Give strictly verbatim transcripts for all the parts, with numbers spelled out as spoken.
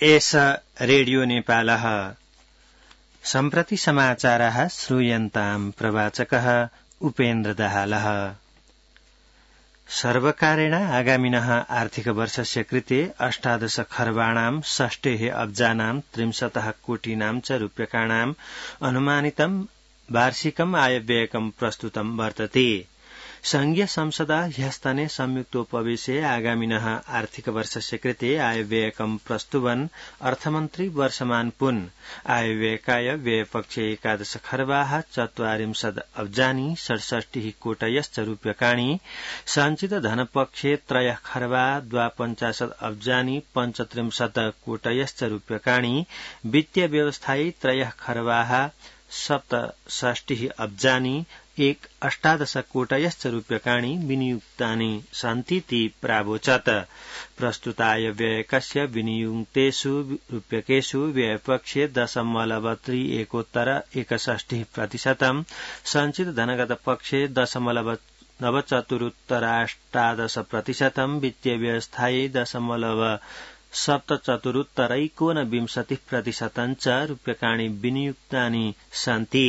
एष रेडियो नेपालः सम्प्रति समाचारः श्रूयन्ताम् प्रवाचकः उपेन्द्र दाहालः। सर्वकारेण आगामिनः आर्थिकवर्षस्य कृते अष्टादश खर्बाणां षष्ठेः अब्जानां त्रिंशतः कोटीनां च रूप्यकाणाम् अनुमानितं वार्षिकम् आयव्ययकं प्रस्तुतं वर्तते। संघीय संसदा ह्यस्तने संयुक्तोपवेशे आगामिनः आर्थिकवर्षस्य कृते आयव्ययकं प्रस्तुवन् अर्थमन्त्री वर्षमान पुन् आयव्ययकाय व्ययपक्षे एकादश खर्बाः चत्वारिंशत् अब्जानि षड्षष्टिः कोटयश्च रूप्यकाणि सञ्चित धनपक्षे त्रयः खर्बा द्वापञ्चाशत् अब्जानि पञ्चत्रिंशत् कोटयश्च रूप्यकाणि वित्तीय व्यवस्थायै त्रयः खर्बाः सप्तषष्टिः अब्जानि एक अष्टादश कोटयश्च रूप्यकाणि विनियुक्तानि सन्तीति प्रावोचत्। प्रस्तुताय व्ययकस्य विनियुक्तेषु रूप्यकेषु व्ययपक्षे दशमलव त्रि एकोत्तर एकषष्टिः प्रतिशतम् सञ्चित धनगत पक्षे दशमलव नवचतुरुत्तराष्टादश प्रतिशतम् वित्तीय व्यवस्थायै दशमलव सप्तचतुरुत्तरैकोनविंशतिः प्रतिशतं च रूप्यकाणि विनियुक्तानि सन्ति।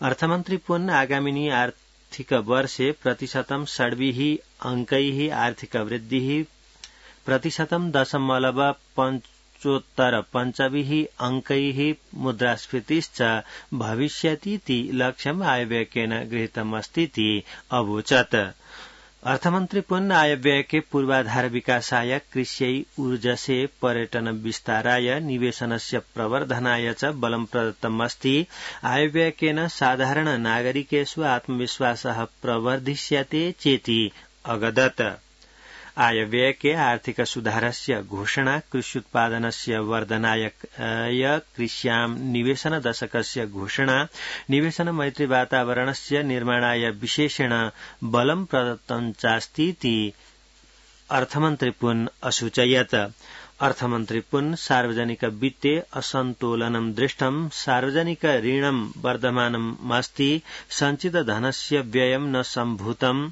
अर्थमन्त्री पुन् आगामिनी आर्थिक वर्षे प्रतिशतं षड्भिः अंकैः आर्थिक वृद्धिः प्रतिशतं दशमलव पञ्चोत्तर पञ्चभिः अंकैः मुद्रास्फीतिश्च भविष्यतीति लक्ष्यम् आयव्ययकेन गृहीतमस्तीति अवोचत्। अर्थमन्त्री पुन् आयव्ययके पूर्वाधार विकासाय कृष्यै ऊर्जसे पर्यटन विस्ताराय निवेशनस्य प्रवर्धनाय च बलं प्रदत्तमस्ति। आयव्ययकेन साधारण नागरिकेषु आत्मविश्वासः प्रवर्धिष्यते चेति अगदत्। आयव्ययके आर्थिक सुधारस्य घोषणा कृष्युत्पादनस्य वर्धनाय कृष्यां निवेशन दशकस्य घोषणा निवेशन मैत्री वातावरणस्य निर्माणाय विशेषेण बलं प्रदत्तं चास्तीति अर्थमन्त्री पुन् असूचयत्। अर्थमन्त्री पुन् सार्वजनिक वित्ते असन्तोलनं दृष्टं सार्वजनिक ऋणं वर्धमानमस्ति सञ्चित धनस्य व्ययं न सम्भूतम्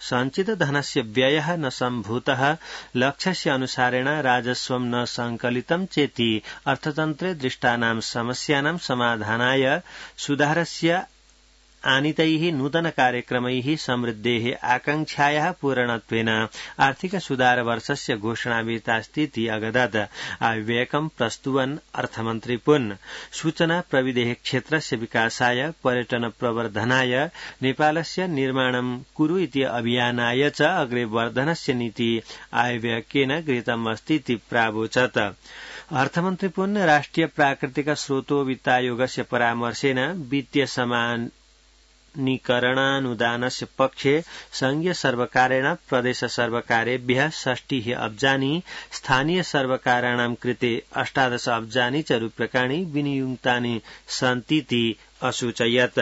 सञ्चित धनस्य व्ययः न सम्भूतः लक्ष्यस्य अनुसारेण राजस्वं न संकलितं चेति अर्थतन्त्रे दृष्टानां समस्यानां समाधानाय सुधारस्य आनीतैः नूतन कार्यक्रमैः समृद्धेः आकांक्षायाः पूरणत्वेन आर्थिक सुधार वर्षस्य घोषणा विहितास्तीति अगदत्। आयव्ययकं प्रस्तुवन् अर्थमन्त्री पुन् सूचना प्रविधेः क्षेत्रस्य विकासाय पर्यटन प्रवर्धनाय नेपालस्य निर्माणं कुरु इति अभियानाय च अग्रे वर्धनस्य नीति आयव्ययकेन गृहीतमस्तीति प्रावोचत्। अर्थमन्त्री पुन् राष्ट्रिय प्राकृतिक स्रोतो वित्तायोगस्य परामर्शेन वित्तीय समान निकरणानुदानस्य पक्षे संघीय सर्वकारेण प्रदेश सर्वकारेभ्यः षष्टिः अब्जानि स्थानीय सर्वकाराणां कृते अष्टादश अब्जानि च रूप्यकाणि विनियुक्तानि सन्तीति असूचयत्।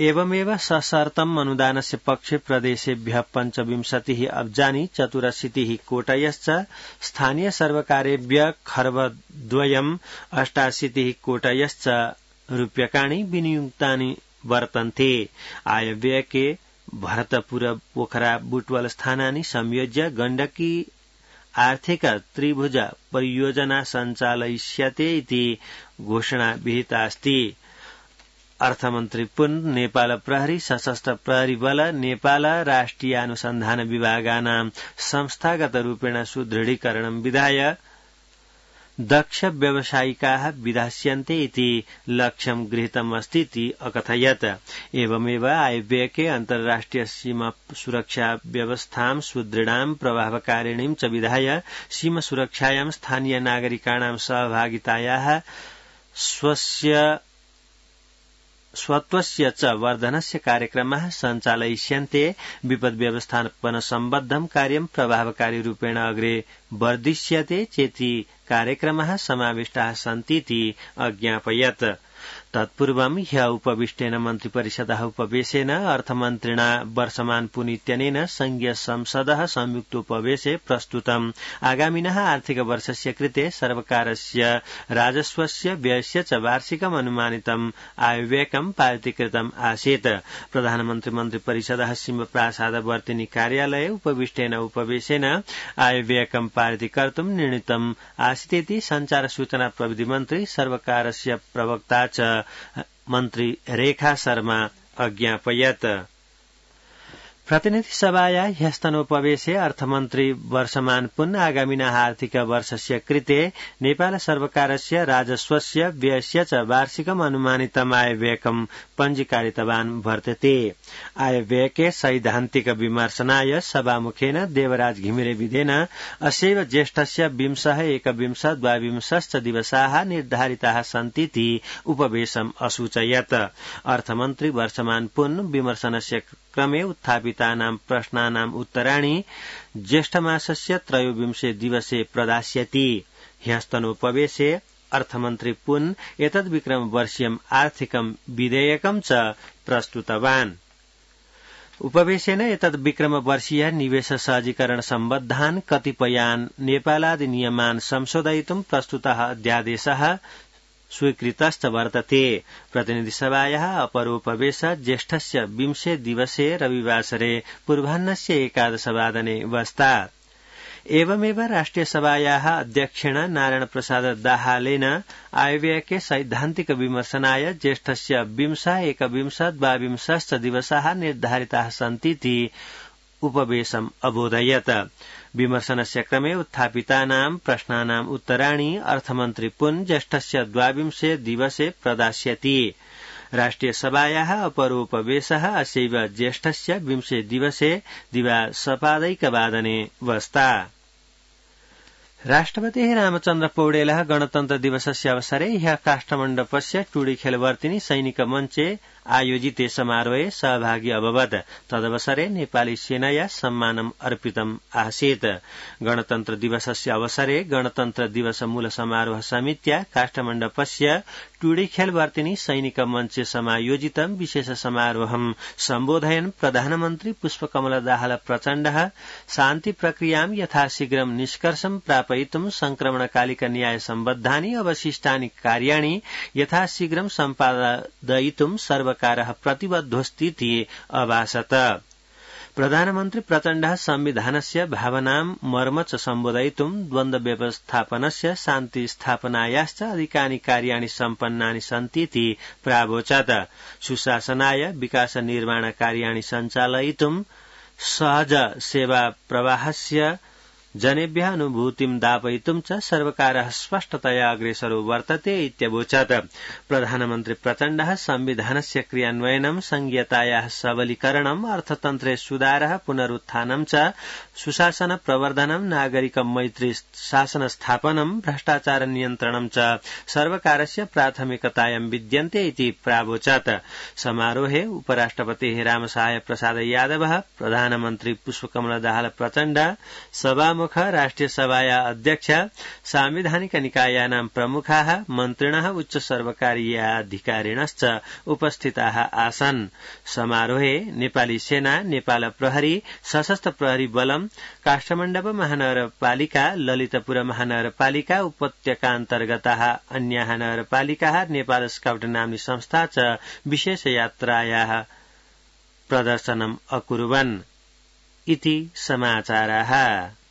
एवमेव सशर्तम् अनुदानस्य पक्षे प्रदेशेभ्यः पञ्चविंशतिः अब्जानि चतुरशीतिः कोटयश्च स्थानीय सर्वकारेभ्यः खर्बद्वयम् अष्टाशीतिः कोटयश्च रूप्यकाणि विनियुक्तानि वर्तन्ते। आयव्ययके भरतपुर पोखरा बुटवल स्थानानि संयोज्य गण्डकी आर्थिक त्रिभुज परियोजना सञ्चालयिष्यते इति घोषणा विहितास्ति। अर्थमन्त्री पुन् नेपाल प्रहरी सशस्त्र प्रहरी बल नेपाल राष्ट्रियानुसन्धान विभागानां संस्थागत रूपेण सुदृढीकरणं विधाय दक्ष व्यावसायिकाः विधास्यन्ते इति लक्ष्यं गृहीतमस्तीति अकथयत्। एवमेव आयव्ययके अन्ताराष्ट्रिय सीमा सुरक्षा व्यवस्थां सुदृढां प्रभावकारिणीं च विधाय सीमा सुरक्षायां स्थानीय नागरिकाणां सहभागितायाः स्वस्य स्वत्वस्य च वर्धनस्य कार्यक्रमाः सञ्चालयिष्यन्ते। विपद् व्यवस्थापन सम्बद्धं कार्यं प्रभावकारी रूपेण अग्रे वर्धिष्यते चेति कार्यक्रमाः समाविष्टाः सन्तीति अज्ञापयत्। तत्पूर्वं ह्य उपविष्टेन मन्त्रिपरिषदः उपवेशेन अर्थमन्त्रिणा वर्षमान पुन इत्यनेन संघीय संसदः संयुक्तोपवेशे प्रस्तुतम् आगामिनः आर्थिक वर्षस्य कृते सर्वकारस्य राजस्वस्य व्ययस्य च वार्षिकम् अनुमानितम् आयव्ययकम् पारितीकृतम् आसीत्। प्रधानमन्त्री मन्त्रिपरिषदः सिंहप्रासादवर्तिनी कार्यालये उपविष्टेन उपवेशेन आयव्ययकम् पारितीकर्तुम् निर्णीतम् आसीदिति संचार सूचना प्रविधि मन्त्री सर्वकारस्य प्रवक्ता च मन्त्री रेखा शर्मा अज्ञापयत्। प्रतिनिधि सभाया ह्यस्तनोपवेशे अर्थमन्त्री वर्षमान पुन आगामिनः आर्थिक वर्षस्य कृते नेपाल सर्वकारस्य राजस्वस्य व्ययस्य च वार्षिकम् अनुमानितम् आयव्ययकम् पञ्जीकारितवान् वर्तते। आयव्ययके सैद्धान्तिक विमर्शनाय सभामुखेन देवराज घिमिरे विधेन अस्यैव ज्येष्ठस्य विंशः एकविंश द्वाविंशश्च दिवसाः निर्धारिताः सन्तीति उपवेशम् असूचयत्। अर्थमन्त्री वर्षमान पुन विमर्शनस्य क्रमे उत्थापितानां प्रश्नानाम् उत्तराणि ज्येष्ठमासस्य त्रयोविंशे दिवसे प्रदास्यति। ह्यस्तनोपवेशे अर्थमन्त्री पुन एतद् विक्रम वर्षीयम् आर्थिकम् विधेयकम् च प्रस्तुतवान्। उपवेशेन एतद् विक्रम वर्षीय निवेश सहजीकरण सम्बद्धान् कतिपयान् नेपालादि नियमान् संशोधयितुम् प्रस्तुतः अध्यादेशः स्वीकृतश्च वर्तते। प्रतिनिधिसभायाः अपरोपवेश ज्येष्ठस्य विंशे दिवसे रविवासरे पूर्वाह्नस्य एकादशवादने वस्तात्। एवमेव राष्ट्रियसभायाः अध्यक्षेण नारायण प्रसाद दाहालेन आयव्ययके सैद्धान्तिक विमर्शनाय ज्येष्ठस्य विंश एकविंश द्वाविंशश्च दिवसाः निर्धारिताः सन्तीति उपवेशम् अबोधयत्। विमर्शनस्य क्रमे उत्थापितानां प्रश्नानाम् उत्तराणि अर्थमन्त्री पुन ज्येष्ठस्य द्वाविंशे दिवसे प्रदास्यति। राष्ट्रियसभायाः अपरोपवेशः अस्यैव ज्येष्ठस्य विंशे दिवसे दिवासपादैकवादने वस्ता। राष्ट्रपतिः रामचन्द्र पौडेलः गणतन्त्र दिवसस्य अवसरे ह्यः काष्ठमण्डपस्य टुडीखेलवर्तिनी सैनिक मञ्चे आयोजिते समारोहे सहभागी अभवत्। तदवसरे नेपाली सेनाया सम्मानम् अर्पितम् आसीत्। गणतन्त्र दिवसस्य अवसरे गणतन्त्र दिवस मूल समारोह समित्या काष्ठमण्डपस्य टुडीखेलवर्तिनी सैनिक मञ्चे समायोजितं विशेष समारोहं सम्बोधयन् प्रधानमन्त्री पुष्पकमल दाहाल प्रचण्डः शान्ति प्रक्रियां यथाशीघ्रं निष्कर्षं प्रापयितुं संक्रमणकालिक न्याय सम्बद्धानि अवशिष्टानि कार्याणि यथाशीघ्रं सम्पादयितुं सर्वकारः प्रतिबद्धोऽस्तीति अभाषत। प्रधानमन्त्री प्रचण्डः संविधानस्य भावनां मर्म च सम्बोधयितुं द्वन्द्व व्यवस्थापनस्य शान्ति स्थापनायाश्च अधिकानि कार्याणि सम्पन्नानि सन्तीति प्रावोचत्। सुशासनाय विकास निर्माण कार्याणि सञ्चालयितुं सहज सेवा प्रवाहस्य जनेभ्यः अनुभूतिं दापयितुं च सर्वकारः स्पष्टतया अग्रेसरो वर्तते इत्यवोचत्। प्रधानमन्त्री प्रचण्डः संविधानस्य क्रियान्वयनं संघीयतायाः सबलीकरणम् अर्थतन्त्रे सुधारः पुनरुत्थानं च सुशासन प्रवर्धनं नागरिक मैत्री शासन स्थापनं भ्रष्टाचार नियन्त्रणं च सर्वकारस्य प्राथमिकतायां विद्यन्ते इति प्रावोचत्। समारोहे उपराष्ट्रपतिः रामसहाय प्रसाद यादवः प्रधानमन्त्री पुष्पकमल दाहाल प्रचण्ड सभा राष्ट्रिय सभाया अध्यक्ष सांविधानिक निकायानां प्रमुखाः मन्त्रिणः उच्च सर्वकारीयाधिकारिणश्च उपस्थिताः आसन्। समारोहे नेपाली सेना, नेपाल प्रहरी, सशस्त्र प्रहरी बलम, काष्ठमण्डप महानगरपालिका, ललितपुर महानगरपालिका, उपत्यकान्तर्गताः अन्याः नगरपालिकाः, नेपाल स्काउट नाम्नी संस्था च विशेष यात्रायाः प्रदर्शनम् अकुर्वन् इति समाचाराः।